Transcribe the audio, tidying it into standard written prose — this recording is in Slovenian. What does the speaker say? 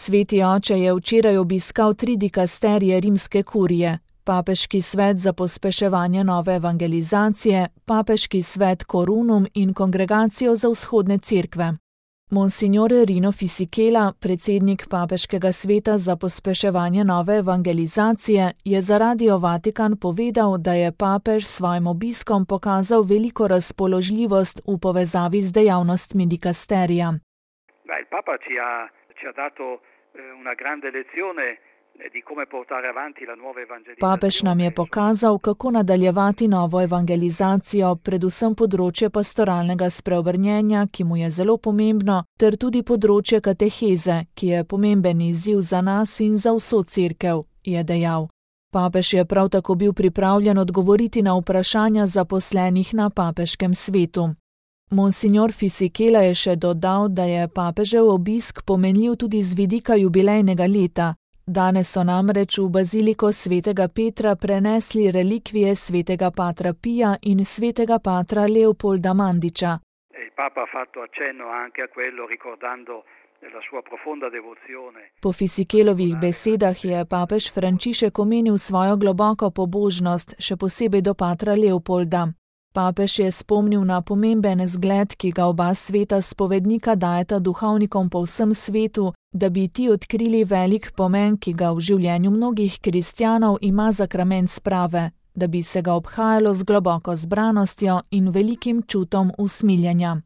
Sveti oče je včeraj obiskal 3 dikasterije rimske kurije, Papeški svet za pospeševanje nove evangelizacije, Papeški svet Korunum in Kongregacijo za vzhodne cerkve. Monsignore Rino Fisichella, predsednik Papeškega sveta za pospeševanje nove evangelizacije, je za Radio Vatikan povedal, da je papež s svojim obiskom pokazal veliko razpoložljivost v povezavi z dejavnostmi dikasterija. Il Papa ci ha dato una grande lezione di come portare avanti la nuova evangelizzazione. Papež nam je pokazal, kako nadaljevati novo evangelizacijo, predvsem področje pastoralnega spreobrnjenja, ki mu je zelo pomembno, ter tudi področje kateheze, ki je pomemben izziv za nas in za vso cerkev, je dejal. Papež je prav tako bil pripravljen odgovoriti na vprašanja zaposlenih na papeškem svetu. Monsignor Fisichella je še dodal, da je papežev obisk pomenljiv tudi z vidika jubilejnega leta. Danes so namreč v baziliko svetega Petra prenesli relikvije svetega patra Pija in svetega patra Leopolda Mandiča. Po Fisichellovih besedah je papež Frančišek omenil svojo globoko pobožnost, še posebej do patra Leopolda. Papež je spomnil na pomemben zgled, ki ga oba sveta spovednika dajeta duhovnikom po vsem svetu, da bi ti odkrili velik pomen, ki ga v življenju mnogih kristjanov ima sakrament sprave, da bi se ga obhajalo z globoko zbranostjo in velikim čutom usmiljenja.